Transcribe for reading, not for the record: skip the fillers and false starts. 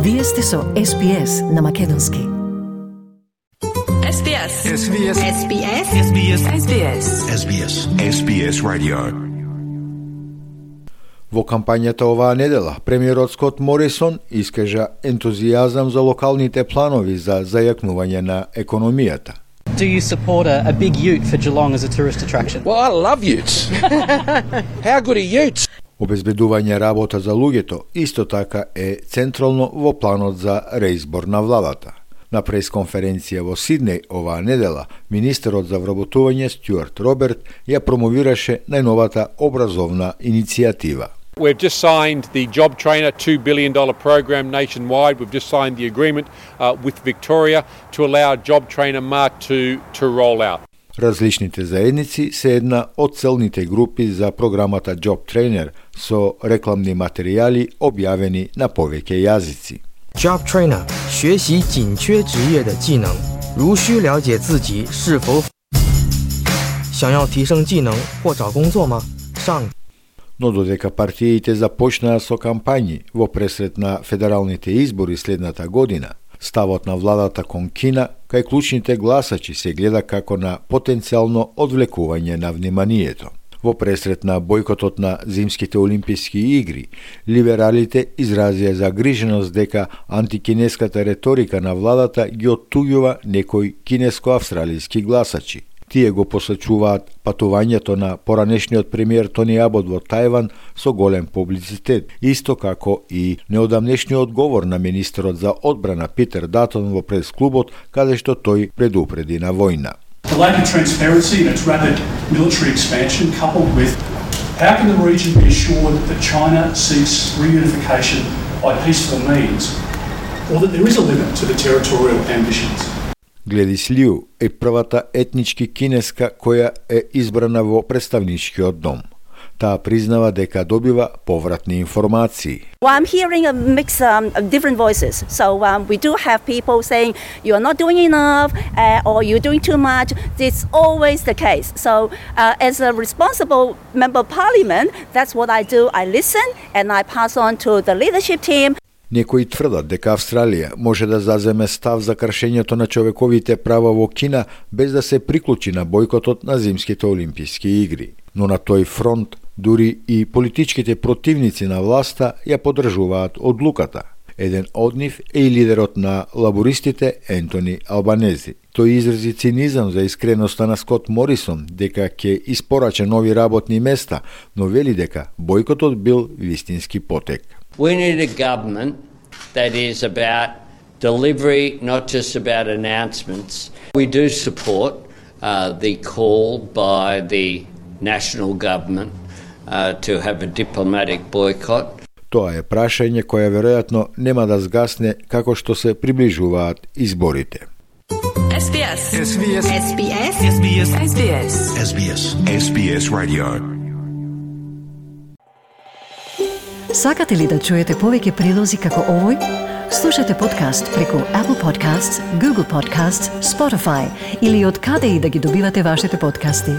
Вие сте со SPS на македонски. SBS Radio. Во кампањата оваа недела, премиерот Скот Морисон искажа ентузијазам за локалните планови за зајакнување на економијата. Do you support a big ute for Geelong as a tourist attraction? Well, I love utes. How good are utes? Обезбедување работа за луѓето исто така е централно во планот за реизбор на владата. На пресконференција во Сиднеј оваа недела, министерот за вработување Стюарт Роберт ја промовираше најновата образовна иницијатива. We've just signed the Job Trainer $2 billion program nationwide. We've just signed the agreement with Victoria to allow Job Trainer Mark 2 to roll out. Различните заедници се една од целните групи за програмата Job Trainer со рекламни материјали објавени на повеќе јазици. Job Trainer 学习紧缺职业的技能，如需了解自己是否想要提升技能或找工作吗？上 Но додека партиите започнаа со кампањи во пресрет на федералните избори следната година, ставот на владата кон Кина кај клучните гласачи се гледа како на потенцијално одвлекување на вниманието. Во пресрет на бојкотот на зимските олимписки игри, либералите изразија загриженост дека антикинеската реторика на владата ги оттуѓува некои кинеско-австралиски гласачи. Тие го посочуваат патувањето на поранешниот премиер Тони Абот во Тајван со голем публицитет, исто како и неодамнешниот говор на министерот за одбрана Питер Датон во прес-клубот, каде што тој предупреди на војна. The lack of transparency and its rapid military expansion, coupled with how can the region be assured that China seeks reunification by peaceful means, or that there is a limit to the territorial ambitions. Гледис Лиу е првата етнички кинеска која е избрана во представничкиот дом. Таа признава дека добива повратни информации. Well, I'm hearing a mix of different voices. So we do have people saying you are not doing enough or you're doing too much. It's always the case. So as a responsible member of parliament, that's what I do. I listen and I pass on to the leadership team. Некои тврдат дека Австралија може да заземе став за кршењето на човековите права во Кина без да се приклучи на бојкотот на зимските олимписки игри. Но на тој фронт дури и политичките противници на власта ја поддржуваат одлуката. Еден од нив е и лидерот на лабористите Ентони Албанези. Тој изрази цинизам за искреноста на Скот Морисон дека ќе испорача нови работни места, но вели дека бојкотот бил вистински потек. We need a government that is about delivery, not just about announcements. We do support the call by the national government to have a diplomatic boycott. Тоа е прашање кое веројатно нема да згасне како што се приближуваат изборите. SBS Radio. Сакате ли да чуете повеќе прилози како овој? Слушате подкаст преку Apple Podcasts, Google Podcasts, Spotify или од каде и да ги добивате вашите подкасти.